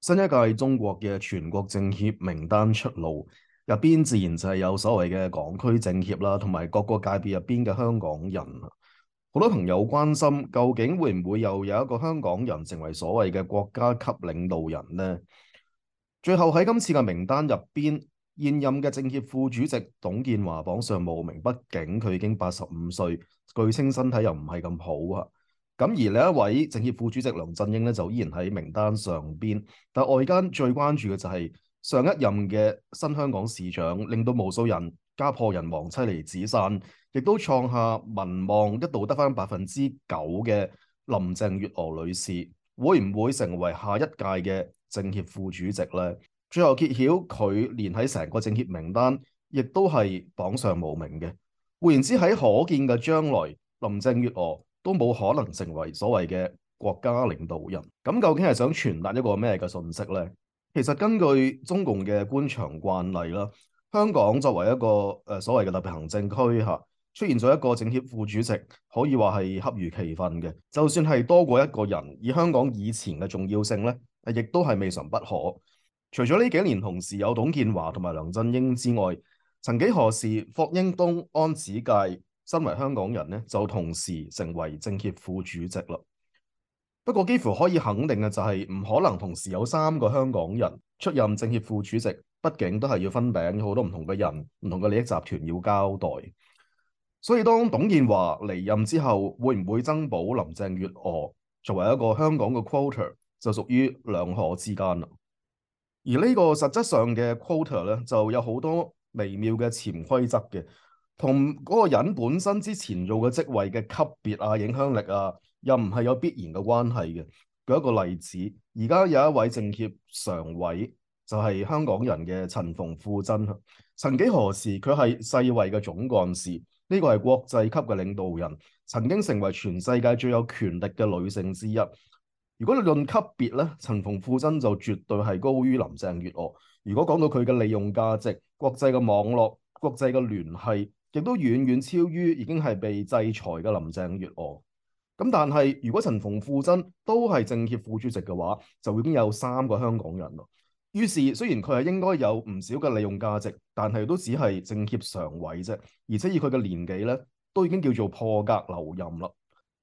新一屆中國嘅全國政協名單出爐，入邊自然就係有所謂嘅港區政協啦，同埋各個界別入邊嘅香港人。好多朋友關心，究竟會唔會又有一個香港人成為所謂嘅國家級領導人呢？最後喺今次嘅名單入邊，現任嘅政協副主席董建華榜上無名，畢竟佢已經85歲，據稱身體又唔係咁好啊。咁而另一位政協副主席梁振英咧，就依然喺名單上邊，但外間最關注嘅就係上一任嘅新香港市長，令到無數人家破人亡、妻離子散，亦都創下民望一度得返9%嘅林鄭月娥女士，會唔會成為下一屆嘅政協副主席呢？最後揭曉佢連喺成個政協名單，亦都係榜上無名嘅。換言之，喺可見嘅將來，林鄭月娥都冇可能成為所謂嘅國家領導人。咁究竟係想傳達一個咩嘅信息呢？其實根據中共嘅官場慣例啦，香港作為一個所謂嘅特別行政區嚇，出現咗一個政協副主席，可以話係恰如其分嘅。就算係多過一個人，以香港以前嘅重要性咧，亦都係未嘗不可。除咗呢幾年同時有董建華同埋梁振英之外，曾幾何時霍英東、安子介身為香港人咧，就同時成為政協副主席啦。不過幾乎可以肯定嘅就係唔可能同時有3個香港人出任政協副主席，畢竟都係要分餅，好多唔同嘅人、唔同嘅利益集團要交代。所以當董建華離任之後，會唔會增補林鄭月娥作為一個香港嘅 quota， 就屬於兩可之間啦。而呢個實質上嘅 quota 咧，就有好多微妙嘅潛規則嘅，同嗰個人本身之前做嘅職位嘅級別啊、影響力啊，又唔係有必然嘅關係嘅。舉一個例子，而家有一位政協常委就係香港人嘅陳馮富珍。曾幾何時佢係世衛嘅總幹事，呢個係國際級嘅領導人，曾經成為全世界最有權力嘅女性之一。如果你論級別咧，陳馮富珍就絕對係高於林鄭月娥。如果講到佢嘅利用價值、國際嘅網絡、國際嘅聯繫，亦都遠遠超於已經係被制裁嘅林鄭月娥。咁但係如果陳馮富珍都係政協副主席嘅話，就已經有3個香港人咯。於是雖然佢係應該有唔少嘅利用價值，但係都只係政協常委啫，而且以佢嘅年紀咧，都已經叫做破格留任啦。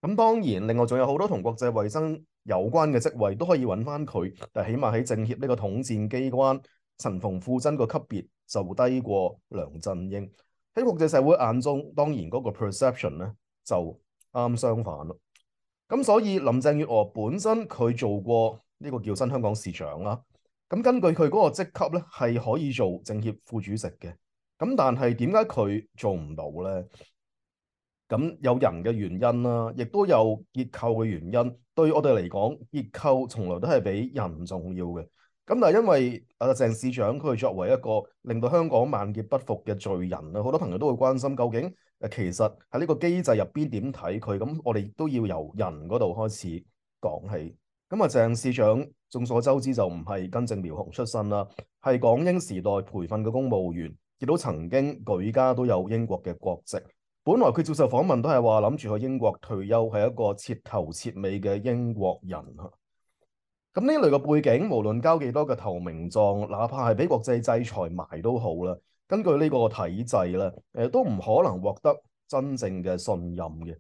咁當然，另外仲有好多同國際衛生有關嘅職位都可以揾翻佢，但起碼喺政協呢個統戰機關，陳馮富珍個級別就低過梁振英。喺國際社會眼中，當然嗰個 perception 咧就啱相反咯。咁所以林鄭月娥本身佢做過呢個叫新香港市長啦。咁根據佢嗰個職級咧，係可以做政協副主席嘅。咁但係點解佢做唔到咧？咁有人嘅原因啦，亦都有結構嘅原因。對我哋嚟講，結構從來都係比人重要嘅。咁但係因為鄭市長佢作為一個令到香港萬劫不復嘅罪人啦，好多朋友都會關心究竟其實喺呢個機制入邊點睇佢。咁我哋都要由人嗰度開始講起。咁鄭市長眾所周知就唔係根正苗紅出身啦，係港英時代培訓嘅公務員，亦都曾經舉家都有英國嘅國籍。本來佢接受訪問都係話諗住去英國退休，係一個徹頭徹尾嘅英國人嚇。咁呢類嘅背景，無論交幾多嘅投名狀，哪怕係俾國際制裁埋都好啦。根據呢個體制咧，都唔可能獲得真正嘅信任嘅。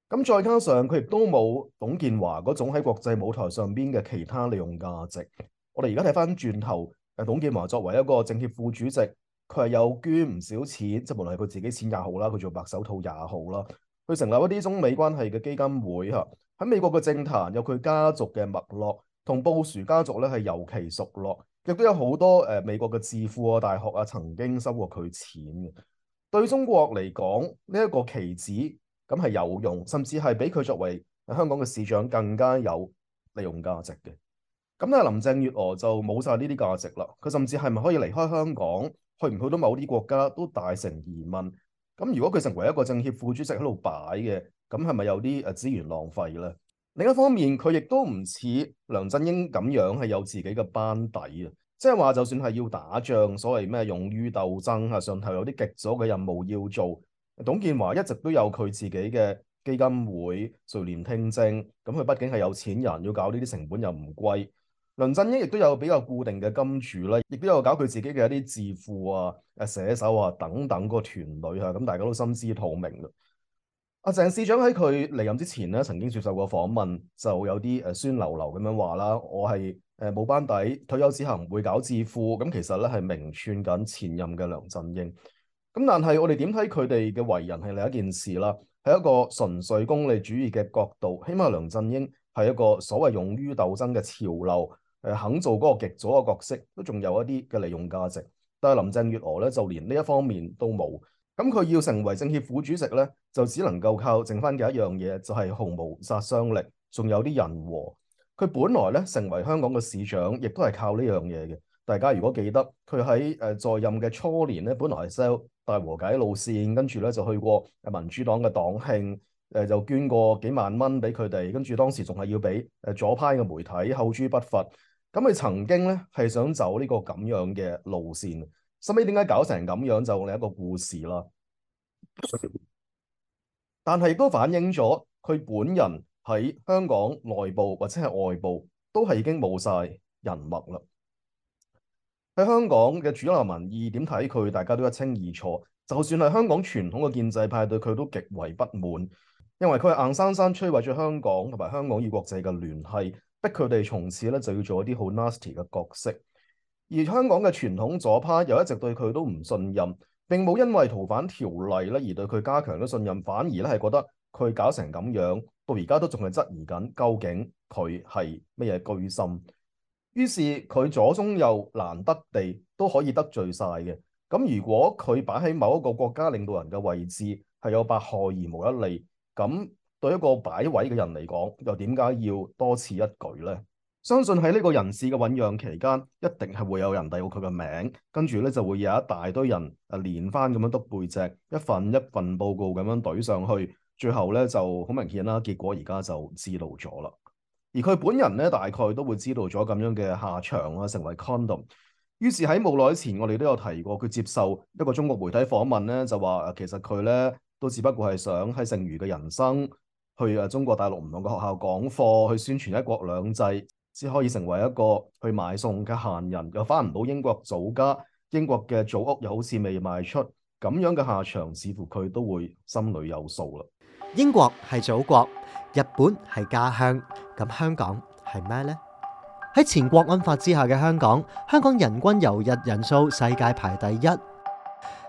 咁再加上佢亦都冇董建華嗰種喺國際舞台上邊嘅其他利用價值。我哋而家睇翻轉頭，董建華作為一個政協副主席。佢係有捐唔少錢，即係無論係佢自己錢也好啦，佢做白手套也好啦，佢成立一啲中美關係嘅基金會嚇。喺美國嘅政壇有佢家族嘅脈絡，同布殊家族咧係尤其熟絡，亦都有好多美國嘅智庫啊、大學啊曾經收過佢錢嘅。對中國嚟講，呢一個棋子咁係有用，甚至係比佢作為香港嘅市長更加有利用價值嘅。咁但係林鄭月娥就冇晒呢啲價值啦，佢甚至係咪可以離開香港？去唔去到某啲國家都大成疑問。咁如果佢成為一個政協副主席喺度擺嘅，咁係咪有啲資源浪費咧？另一方面，佢亦都唔似梁振英咁樣係有自己嘅班底啊。即係話，就算係要打仗，所謂咩勇於鬥爭啊，上頭有啲極左嘅任務要做，董建華一直都有佢自己嘅基金會、垂簾聽政。咁佢畢竟係有錢人，要搞呢啲成本又唔貴。梁振英亦都有比較固定嘅金主啦，亦都有搞佢自己嘅一啲智庫啊、寫手啊等等個團隊啊，咁大家都心知肚明嘅。阿鄭市長喺佢離任之前咧，曾經接受過訪問，就有啲酸溜溜咁樣話啦，我係冇班底，退休之後唔會搞智庫，咁其實咧係明串緊前任嘅梁振英。咁但係我哋點睇佢哋嘅為人係另一件事啦，喺一個純粹功利主義嘅角度，起碼梁振英係一個所謂勇於鬥爭嘅潮流，肯做嗰個極左嘅角色，都仲有一啲嘅利用價值。但係林鄭月娥咧，就連呢一方面都冇。咁佢要成為政協副主席咧，就只能夠靠剩翻嘅一樣嘢，就係毫無殺傷力，仲有啲人和。佢本來咧成為香港嘅市長，亦都係靠呢樣嘢嘅。大家如果記得，佢喺在任嘅初年咧，本來係 sell 大和解路線，跟住咧就去過民主黨嘅黨慶，就捐過幾萬蚊俾佢哋，跟住當時仲係要俾左派嘅媒體口誅筆伐。咁佢曾經咧係想走呢個咁樣嘅路線。後尾點解搞成咁樣就另一個故事啦。但係亦都反映咗佢本人喺香港內部或者係外部都係已經冇晒人脈啦。喺香港嘅主流民意點睇佢，大家都一清二楚。就算係香港傳統嘅建制派對佢都極為不滿，因為佢係硬生生摧毀咗香港同埋香港與國際嘅聯繫，逼佢哋從此咧就要做一啲好 nasty 嘅角色。而香港嘅傳統左派又一直對佢都唔信任，並冇因為逃犯條例咧而對佢加強咗信任，反而咧係覺得佢搞成咁樣，到而家都仲係質疑緊究竟佢係乜嘢居心。於是佢左中右難得地都可以得罪晒嘅。咁如果佢擺喺某一個國家領導人嘅位置，係有百害而無一利，咁對一個擺位嘅人嚟講，又點解要多此一舉呢？相信喺呢個人事嘅醞釀期間，一定係會有人遞到佢嘅名，跟住咧就會有一大堆人連番咁樣督背脊，一份一份報告咁樣懟上去，最後咧就好明顯啦，結果而家就知道咗啦。而佢本人咧，大概都會知道咗咁樣嘅下場啦，成為 condom。於是喺冇耐前，我哋都有提過，佢接受一個中國媒體訪問咧，就話其實佢咧都只不過係想喺剩餘嘅人生去中國大陸唔同嘅學校講課，去宣傳一國兩制，先可以成為一個去買餸嘅閒人，又翻唔到英國祖家，英國嘅祖屋又好似未賣出，咁樣嘅下場，似乎佢都會心裏有數啦。英國係祖國，日本係家鄉，咁香港係咩呢？喺前國安法之下嘅香港，香港人均遊日人數世界排第一。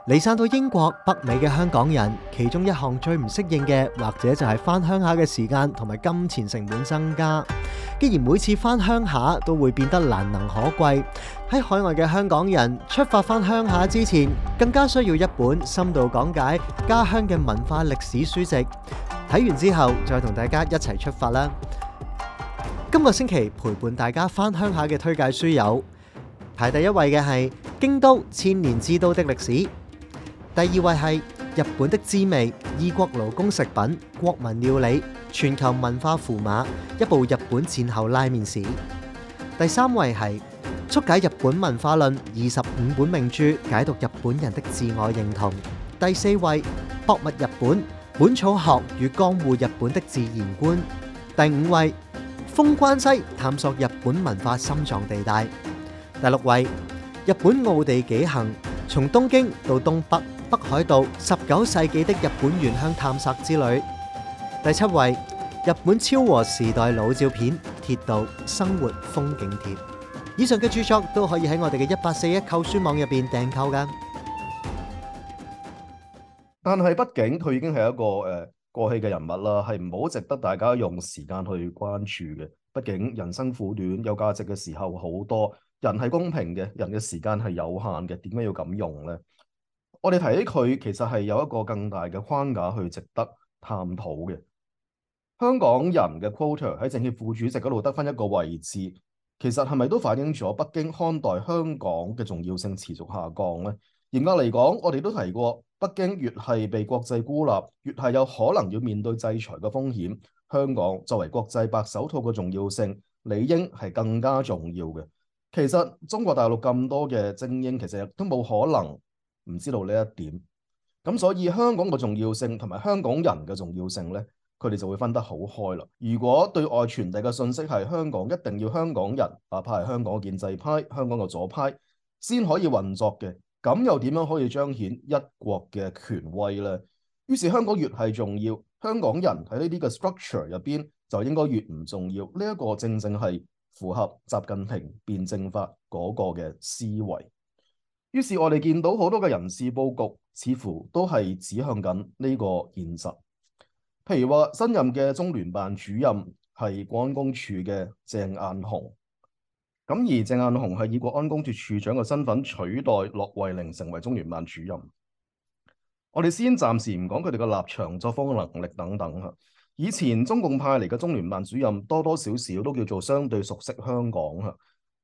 離散到英國、北美嘅香港人，其中一項最唔適應嘅，或者就係返鄉下嘅時間同埋金錢成本增加。既然每次返鄉下都會變得難能可貴，喺海外嘅香港人出發返鄉下之前，更加需要一本深度講解家鄉嘅文化歷史書籍。睇完之後，再同大家一齊出發啦！今個星期陪伴大家返鄉下嘅推介書有：排第一位嘅係《京都千年之都的歷史》，第二位係《日本的滋味：異國勞工食品、國民料理、全球文化符碼》，一部日本戰後拉麵史。第三位係《速解日本文化論25本名著，解讀日本人的自我認同》。第四位《博物日本：本草學與江戶日本的自然觀》。第五位《封關西：探索日本文化心臟地帶》。第六位《日本奧地紀行：從東京到東北、北海道19世紀的日本原鄉探索之旅》。第七位《日本昭和時代老照片：鐵道生活風景貼》。以上嘅著作都可以喺我哋嘅1841購書網入邊訂購噶。但係畢竟佢已經係一個過氣嘅人物啦，係唔好值得大家用時間去關注嘅。畢竟人生苦短，有價值嘅時候好多。人係公平嘅，人嘅時間係有限嘅，點解要咁用呢？我哋提起佢，其實係有一個更大嘅框架去值得探討嘅。香港人嘅 quota 喺政協副主席嗰度得返一個位置，其實係咪都反映咗北京看待香港嘅重要性持續下降呢？嚴格嚟講，我哋都提過，北京越係被國際孤立，越係有可能要面對制裁嘅風險。香港作為國際白手套嘅重要性，理應係更加重要嘅。其實中國大陸咁多嘅精英，其實都冇可能唔知道呢一點。咁所以香港嘅重要性同埋香港人嘅重要性呢，佢哋就會分得好開啦。如果對外傳遞嘅信息係香港一定要香港人，哪怕係香港嘅建制派、香港嘅左派先可以運作嘅，咁又點樣可以彰顯一國嘅權威呢？於是香港越係重要，香港人喺呢啲嘅 structure 入邊就應該越唔重要。呢一個正正係符合習近平辯證法嗰個嘅思維。於是我哋見到好多嘅人事佈局似乎都係指向緊呢個現實。譬如話新任嘅中聯辦主任係國安公署嘅鄭雁雄，咁而鄭雁雄係以國安公署署長嘅身份取代駱惠寧成為中聯辦主任。我哋先暫時唔講佢哋嘅立場、作風能力等等嚇。以前中共派嚟嘅中聯辦主任多多少少都叫做相對熟悉香港嚇。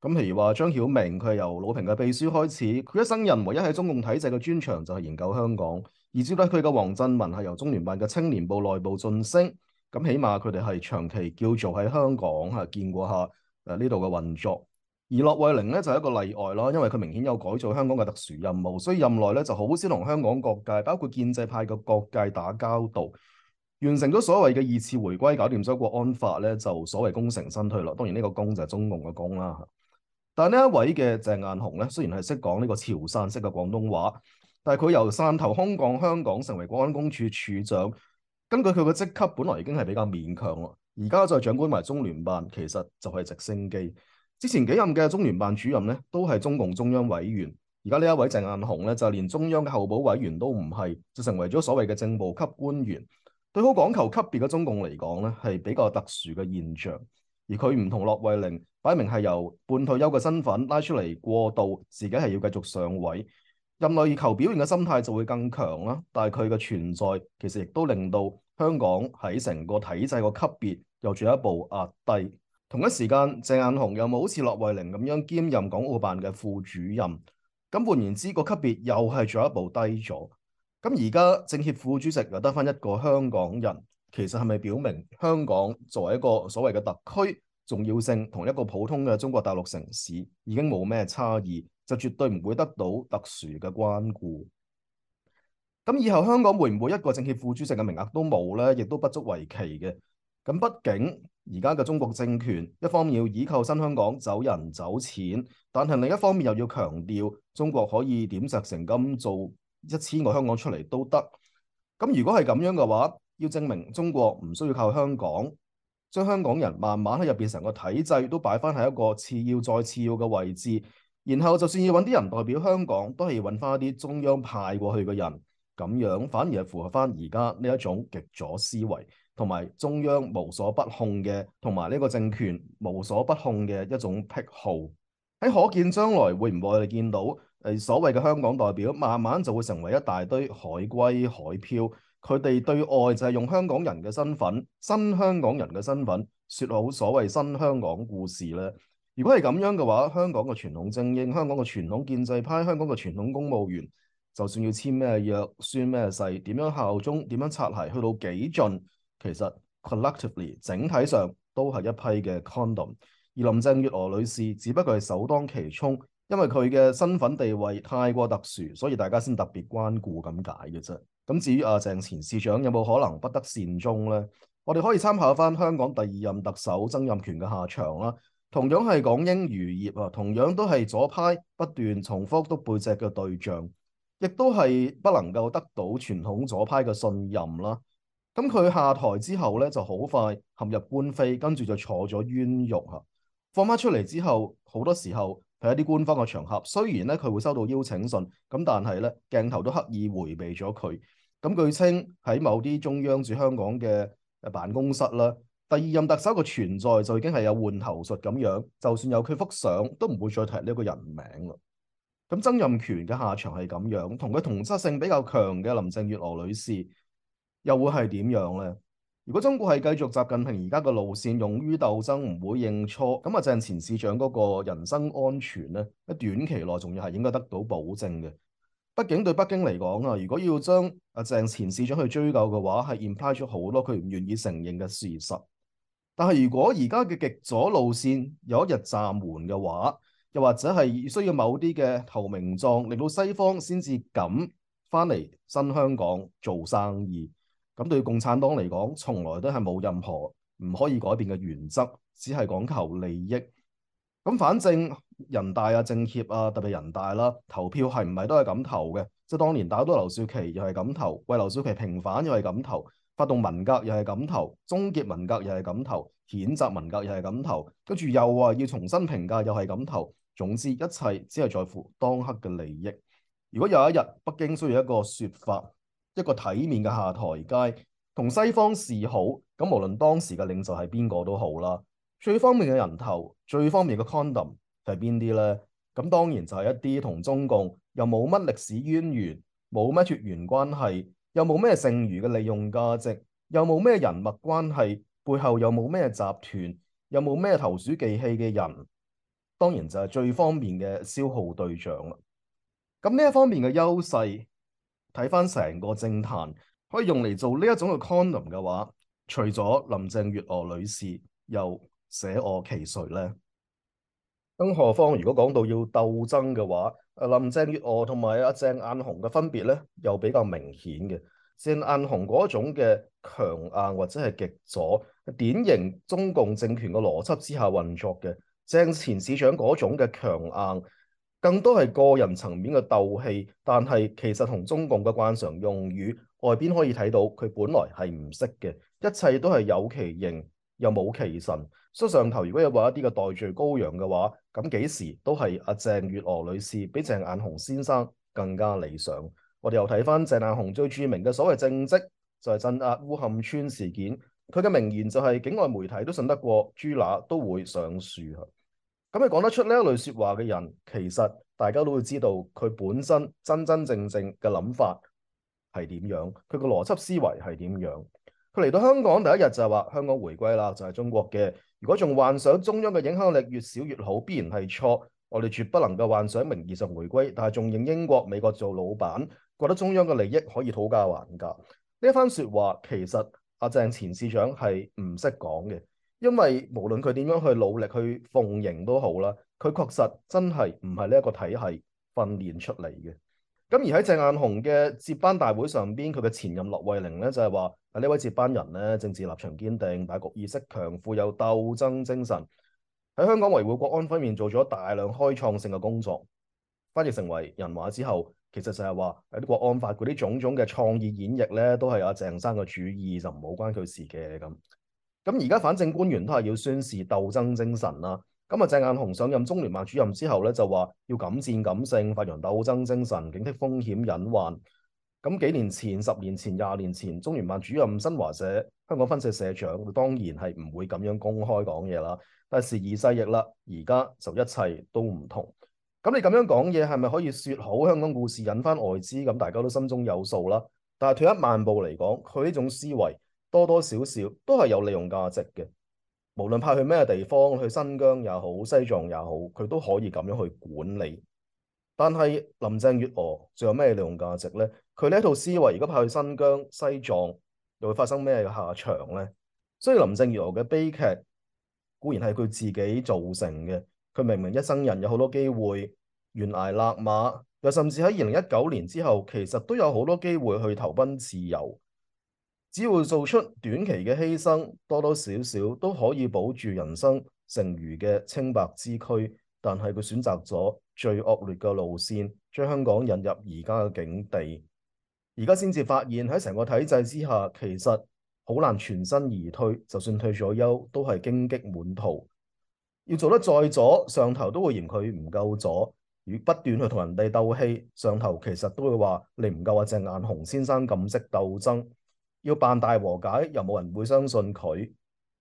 咁譬如話張曉明，佢係由魯平嘅秘書開始，佢一生人唯一喺中共體制嘅專長就係研究香港。而接替佢嘅黃振文係由中聯辦嘅青年部內部晉升，咁起碼佢哋係長期叫做喺香港嚇見過下呢度嘅運作。而駱惠寧咧就係一個例外啦，因為佢明顯有改造香港嘅特殊任務，所以任內咧就好少同香港各界，包括建制派嘅各界打交道。完成咗所謂嘅二次回歸，搞掂咗國安法咧，就所謂功成身退啦。當然呢個功就係中共嘅功啦。但係呢一位嘅鄭雁雄咧，雖然係識講呢個潮汕式嘅廣東話，但係佢由汕頭空降香港成為國安公署署長，根據佢嘅職級，本來已經係比較勉強啦。而家再掌管埋中聯辦，其實就係直升機。之前幾任嘅中聯辦主任咧，都係中共中央委員。而家呢一位鄭雁雄咧，就連中央嘅候補委員都唔係，就成為咗所謂嘅正部級官員。對好講求級別嘅中共嚟講咧，係比較特殊嘅現象。而佢唔同駱惠寧，擺明係由半退休嘅身份拉出嚟過渡，自己係要繼續上位。任內以求表現嘅心態就會更強啦。但係佢嘅存在其實亦都令到香港喺成個體制個級別又進一步壓低。同一時間，鄭雁雄又冇好似駱惠寧咁樣兼任港澳辦嘅副主任，咁換言之，個級別又係進一步低咗。咁而家政協副主席又得返一個香港人，其實係咪表明香港作為一個所謂嘅特區重要性同一個普通嘅中國大陸城市已經冇咩差異，就絕對唔會得到特殊嘅關顧？咁以後香港會唔會一個政協副主席嘅名額都冇呢？亦都不足為奇嘅。咁畢竟而家嘅中國政權一方面要依靠新香港走人走錢，但係另一方面又要強調中國可以點石成金做1000個香港出嚟都得。咁如果係咁樣嘅話，要證明中國唔需要靠香港，將香港人慢慢喺入邊成個體制都擺翻喺一個次要再次要嘅位置，然後就算要揾啲人代表香港，都係要揾翻一啲中央派過去嘅人，咁樣反而係符合翻而家呢一種極左思維，同埋中央無所不控嘅，同埋呢個政權無所不控嘅一種癖好。喺可見將來會唔會我哋見到所謂嘅香港代表慢慢就會成為一大堆海歸海漂，佢哋對外就係用香港人嘅身份、新香港人嘅身份説好所謂新香港故事呢？如果係咁樣嘅話，香港嘅傳統精英、香港嘅傳統建制派、香港嘅傳統公務員，就算要簽咩約、宣咩誓、點樣效忠、點樣擦鞋，去到幾盡，其實 collectively 整體上都係一批嘅 condom。而林鄭月娥女士只不過係首當其衝，因為佢嘅身份地位太過特殊，所以大家先特別關顧咁解嘅啫。咁至於鄭前司長有冇可能不得善終呢？我哋可以參考翻香港第2任特首曾蔭權嘅下場啦。同樣係港英餘孽啊，同樣都係左派不斷重複篤背脊嘅對象，亦都係不能夠得到傳統左派嘅信任啦。咁佢下台之後咧，就好快陷入官非，跟住就坐咗冤獄嚇。放翻出嚟之後，好多時候喺一啲官方嘅場合，雖然咧佢會收到邀請信，咁但係咧鏡頭都刻意迴避咗佢。咁據稱喺某啲中央駐香港嘅辦公室啦，第2任特首嘅存在就已經係有換頭術咁樣，就算有佢幅相，都唔會再提呢個人名啦。咁曾蔭權嘅下場係咁樣，同佢同質性比較強嘅林鄭月娥女士又會係點樣呢？如果中國係繼續習近平而家嘅路線，勇於鬥爭，唔會認錯，咁鄭前司長嗰個人身安全咧，喺短期內仲要係應該得到保證嘅。畢竟對北京嚟講啊，如果要將鄭前司長去追究嘅話，係 imply 咗好多佢唔願意承認嘅事實。但係如果而家嘅極左路線有一日暫緩嘅話，又或者係需要某啲嘅投名狀，令到西方先至敢翻嚟新香港做生意。咁對共產黨嚟講，從來都係冇任何唔可以改變嘅原則，只係講求利益。咁反正人大啊、政協啊，特別人大啦，投票係唔係都係咁投嘅？即係當年打倒劉少奇又係咁投，為劉少奇平反又係咁投，發動文革又係咁投，終結文革又係咁投，譴責文革又係咁投，跟住又話要重新評價又係咁投。總之一切只係在乎當刻嘅利益。如果有一日北京需要一個説法，一個體面嘅下台階，同西方示好，咁無論當時嘅領袖係邊個都好啦。最方便嘅人頭，最方便嘅 condom 係邊啲呢？咁當然就係一啲同中共又冇乜歷史淵源，冇乜血緣關係，又冇咩剩餘嘅利用價值，又冇咩人脈關係，背後又冇咩集團，又冇咩投鼠忌器嘅人，當然就係最方便嘅消耗對象啦。咁呢一方面嘅優勢，睇翻成個政壇可以用嚟做呢一種嘅 condom 嘅話，除咗林鄭月娥女士，又捨我其誰呢？更何況如果講到要鬥爭嘅話，林鄭月娥同埋阿鄭雁雄嘅分別咧，又比較明顯嘅。鄭雁雄嗰種嘅強硬或者係極左，典型中共政權嘅邏輯之下運作嘅。鄭前市長嗰種嘅強硬，更多係個人層面嘅鬥氣，但係其實同中共嘅慣常用語，外邊可以睇到佢本來係唔識嘅，一切都係有其形又冇其神。所以上頭如果有話一啲嘅代罪羔羊嘅話，咁幾時都係阿鄭月娥女士比鄭雁雄先生更加理想。我哋又睇翻鄭雁雄最著名嘅所謂政績，就係鎮壓烏坎村事件。佢嘅名言就係境外媒體都信得過，豬乸都會上樹。咁你講得出呢一類説話嘅人，其實大家都會知道佢本身真真正正嘅諗法係點樣，佢個邏輯思維係點樣。佢嚟到香港第一日就係話香港回歸啦，就係中國嘅。如果仲幻想中央嘅影響力越少越好，必然係錯。我哋絕不能夠幻想名義上回歸，但係仲認英國、美國做老闆，覺得中央嘅利益可以討價還價。呢一番説話其實阿鄭前市長係唔識講嘅，因為無論佢點樣去努力去奉迎都好啦，佢確實真係唔係呢一個體系訓練出嚟嘅。咁而喺鄭雁雄嘅接班大會上邊，佢嘅前任駱惠寧咧就係話：呢位接班人咧政治立場堅定，大局意識強，富有鬥爭精神，喺香港維護國安方面做咗大量開創性嘅工作。翻譯成為人話之後，其實就係話喺啲國安法嗰啲種種嘅創意演繹咧，都係阿鄭生嘅主意，就唔好關佢事嘅咁。咁而家反正官員都係要宣示鬥爭精神啦。咁啊，鄭雁雄上任中聯辦主任之後咧，就話要敢戰敢勝，發揚鬥爭精神，警惕風險隱患。咁幾年前、10年前、20年前，中聯辦主任新華社香港分社社長，當然係唔會咁樣公開講嘢啦。但係時移世易啦，而家就一切都唔同。咁你咁樣講嘢係咪可以説好香港故事引翻外資？咁大家都心中有數啦。但係退一萬步嚟講，佢呢種思維多多少少都係有利用價值嘅。無論派去咩地方，去新疆也好，西藏也好，佢都可以咁樣去管理。但係林鄭月娥仲有咩利用價值呢？佢呢一套思維，如果派去新疆、西藏，又會發生咩嘅下場呢？所以林鄭月娥嘅悲劇固然係佢自己造成嘅。佢明明一生人有好多機會懸崖勒馬，又甚至喺2019年之後，其實都有好多機會去投奔自由。只要做出短期嘅犧牲，多多少少都可以保住人生剩餘嘅清白之軀。但係佢選擇咗最惡劣嘅路線，將香港引入而家嘅境地。而家先至發現喺成個體制之下，其實好難全身而退。就算退咗休，都係荊棘滿途。要做得再左，上頭都會嫌佢唔夠左。如不斷去同人哋鬥氣，上頭其實都會話你唔夠阿鄭雁雄先生咁識鬥爭。要辦大和解，又冇人會相信佢。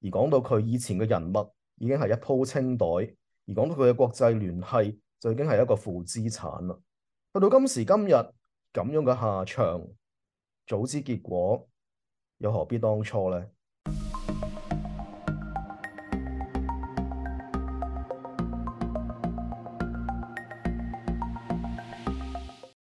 而講到佢以前嘅人脈，已經係一鋪清袋。而講到佢嘅國際聯繫，就已經係一個負資產啦。去到今時今日咁樣嘅下場，早知結果，又何必當初呢？